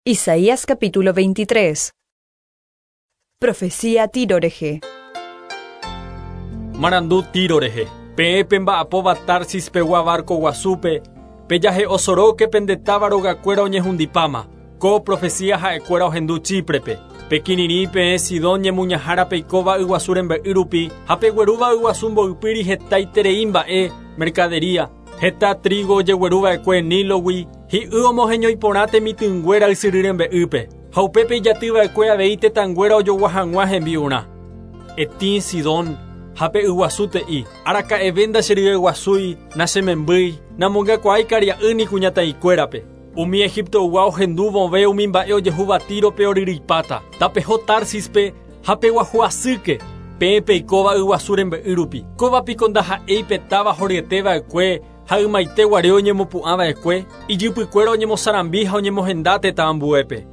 Isaías capítulo 23. Profecía Tiro rehe. Marandu Tiro rehe. Peẽ pemba'apóva Tarsis pegua barco guasúpe, pejahe'o soróke pende táva rogakuéra oñehundipáma. Ko profecía ha'ekuéra ohendu Chíprepe. Pekirirĩ peẽ Sidón ñemuñahára peikóva yguasu rembe'y rupi ha peguerúva yguasu mboypýri hetaiterei mba'e, mercadería, Heta trígo ojegueru va'ekue Nílogui, hi'y omoheñói porã temitỹnguéra ysyry rembe'ýpe, ha upépe ijaty va'ekue avei tetãnguéra ojogua hag̃ua hembi'urã. Etĩ, Sidón, ha pe yguasu te'i, Araka'eve ndacheryeguasúi, nachemembýi, namongakuaái karia'y ni kuñataĩkuérape. Umi Egiptoygua ohendu vove umi mba'e ojehúva Tírope oryryipáta. Tapeho Társispe ha peguahu asýke, peẽ peikóva yguasu rembe'y rupi. Kóva piko ndaha'éi pe táva horyete va'ekue ha ymaite guare oñemopu'ã va'ekue, ijypykuéra oñemosarambi ha oñemohenda tetã ambuépe.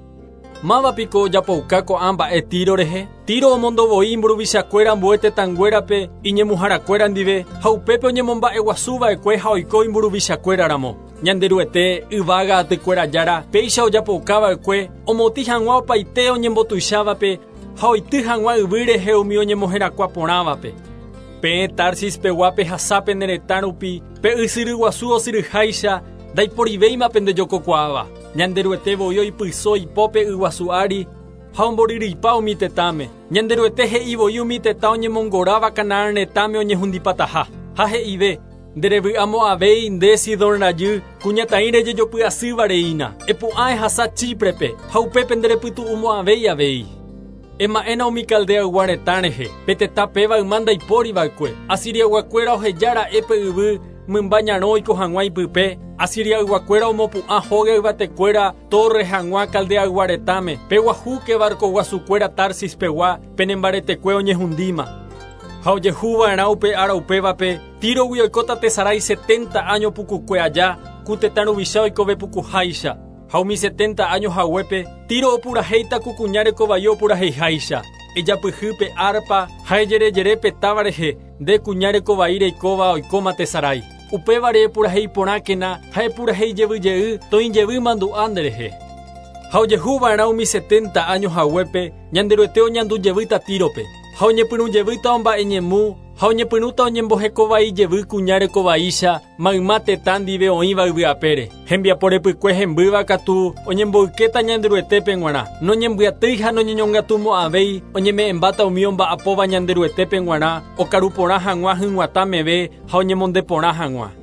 Máva piko ojapouka ko'ã mba'e Tiro rehe? Tiro omondo voi imburuvichakuéra ambue tetãnguérape iñemuharakuéra ndive ha upépe oñemomba'eguasu va'ekue ha oiko imburuvichakuéra ramo. Ñanderuete, yvága atykuéra Jára, péicha ojapouka va'ekue omotĩ hag̃ua opaite oñembotuichávape ha oity hag̃ua yvy rehe umi oñemoherakuã porãvape. Peẽ Tarsis pegua pehasa pene retã rupi, pe ysyry guasu osyryháicha, ndaiporivéima pendejokokuaáva. Ñanderuete voi oipyso ipópe yguasu ári ha omboryryipa umi tetãme. Ñanderuete he'i voi umi tetã oñemongoráva Canaán retãme oñehundipataha. Ha he'ive, Nde revy'amo'ãvéi nde Sidón rajy, kuñataĩ rejejopy asýva reína. Epu'ã ehasa Chíprepe, ha upépe nde repytu'umo'ãvéi avei. Ema'ẽna umi Caldeaygua retã rehe, pe tetã péva yma ndaipóri va'ekue. Asiriayguakuéra oheja ra'e pe yvy mymba ñarõ oiko hag̃ua ipype, Asiriayguakuéra omopu'ã hóga yvatekuéra tórre hag̃ua Caldeaygua retãme, peguahúke varkoguasukuéra Tarsis pegua, pene mbaretekue oñehundíma. Ha ojehu va'erã upe ára upévape, Tírogui oikóta tesarái setenta áño pukukue aja, ku tetã ruvicha oikove pukuháicha. Ha umi setenta áño haguépe, Tiro opurahéita ku kuña rekovai opuraheiháicha. Ejapyhy pe árpa ha ejerejere pe táva rehe, nde kuña rekovai reikóva oikóma tesarái. Upévare epurahéi porãkena ha epurahéi jevy jey toĩ jevy mandu'a nderehe. Ha ojehu va'erã umi setenta áño haguépe, Ñanderuete oñandu jevýta Tírope, ha oñepyrũ jevýta omba'eñemu, ha oñepyrũta oñembohekovai jevy kuña rekovaícha mayma tetã ndive oĩva yvy apére. Hembiapo repykue hembýva katu oñemboykéta Ñanderuetépe g̃uarã, noñembyatýi ha noñeñongatumo'ãvéi, oñeme'ẽmbáta umi omba'apóva Ñanderuetépe g̃uarã okaru porã hag̃ua hyg̃uatã meve ha oñemonde porã hag̃ua.